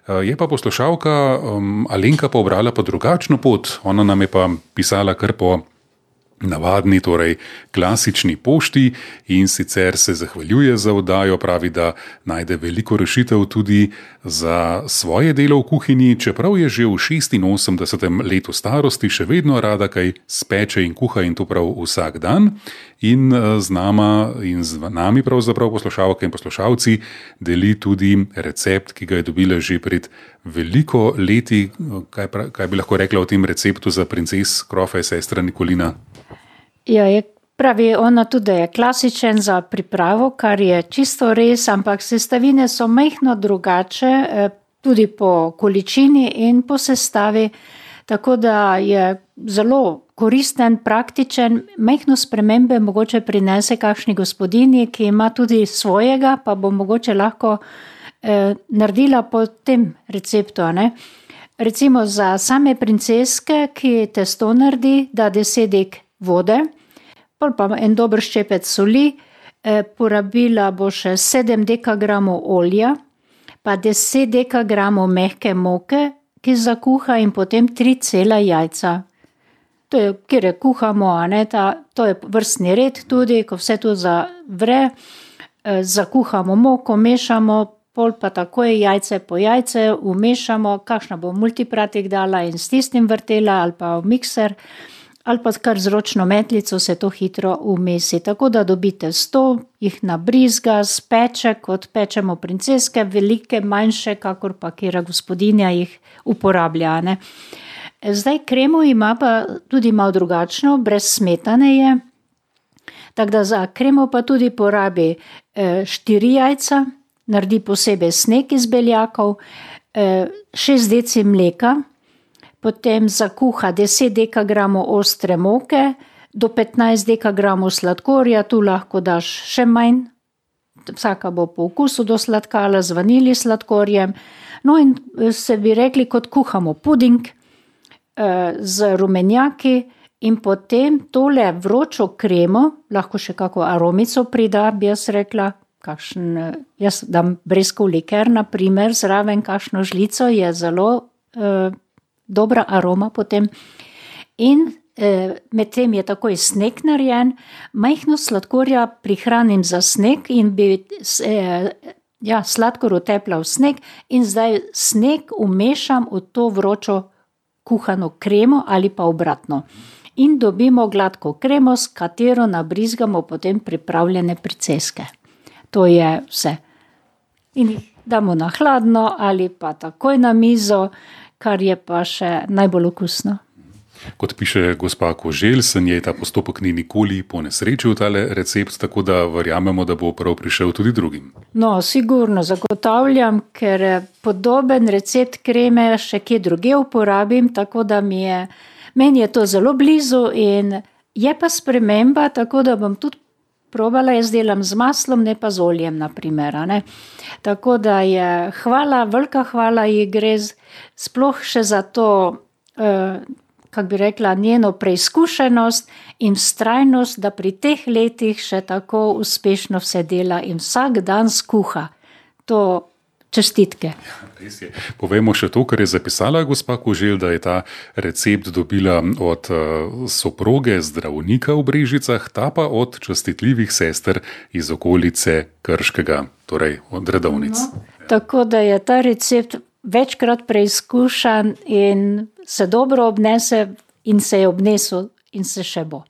Je pa poslušalka Alenka pa obrala pa drugačno pot. Ona nam je pa pisala kar po navadni, torej klasični pošti in sicer se zahvaljuje za oddajo, pravi, da najde veliko rešitev tudi za svoje delo v kuhinji, čeprav je že v 86. letu starosti še vedno rada kaj speče in kuha in to prav vsak dan. In z nami pravzaprav poslušalke in poslušalci deli tudi recept, ki ga je dobila že pred veliko leti. Kaj bi lahko rekla o tem receptu za princes krofe sestra Nikolina? Ja, pravi ona tudi, da je klasičen za pripravo, kar je čisto res, ampak sestavine so majhno drugače, tudi po količini in po sestavi, tako da je zelo koristen, praktičen, majhno spremembe mogoče prinese kakšni gospodinji, ki ima tudi svojega, pa bo mogoče lahko naredila po tem receptu, ne? Recimo za same princeske, ki testo naredi, da 10 dek vode, pa en dober ščepec soli, porabila bo še 7 dekagramov olja, pa 10 dekagramov mehke moke, ki zakuha in potem 3 cela jajca. To je, kjer kuhamo, to je vrstni red tudi, ko vse to zavre, zakuhamo moko, mešamo, pol pa takoj jajce po jajce umešamo, kakšna bo multipratik dala in s tistim vrtela ali pa v mikser, ali pa kar z ročno metlico se to hitro umesi. Tako da dobite 100, jih nabrizga, speče, kot pečemo princeske, velike, manjše, kakor pa kjera gospodinja jih uporablja, ne. Zdaj kremo ima pa tudi malo drugačno, brez smetane je, tako da za kremo pa tudi porabi 4 jajca, naredi posebej sneg iz beljakov, 6 deci mleka, potem zakuha 10 dekagramov ostre moke, do 15 dekagramov sladkorja, tu lahko daš še manj, vsaka bo po okusu do sladkala z vanilji sladkorjem. No in se bi rekli, kot kuhamo puding z rumenjaki in potem tole vročo kremo, lahko še kako aromico prida, bi jaz rekla, jaz dam breskov liker, na primer, zraven kakšno žlico, je zelo dobra aroma potem. In medtem je takoj sneg narejen, majhno sladkorja prihranim za sneg in bi sladkor utepla v sneg in zdaj sneg umešam v to vročo kuhano kremo ali pa obratno. In dobimo gladko kremo, s katero nabrizgamo potem pripravljene princeske. To je vse. In jih damo na hladno ali pa takoj na mizo, kar je pa še najbolj okusno. Kot piše gospa Koželj, se njej ta postopek ni nikoli ponesrečil, tale recept, tako da verjamemo, da bo prav prišel tudi drugim. No, sigurno zagotavljam, ker podoben recept kreme še kje druge uporabim, tako da meni je to zelo blizu in je pa sprememba, tako da bom tudi probala, jaz delam z maslom, ne pa z oljem, na primer, ne. Tako da je velika hvala ji gre sploh še za to, kako bi rekla, njeno preizkušenost in vztrajnost, da pri teh letih še tako uspešno vse dela in vsak dan skuha. To čestitke. Ja, res je. Povejmo še to, kar je zapisala gospa Koželj, da je ta recept dobila od soproge zdravnika v Brežicah, ta pa od častitljivih sester iz okolice Krškega, torej od redovnic. No, tako da je ta recept večkrat preizkušan in se dobro obnese in se je obnesel in se še bo.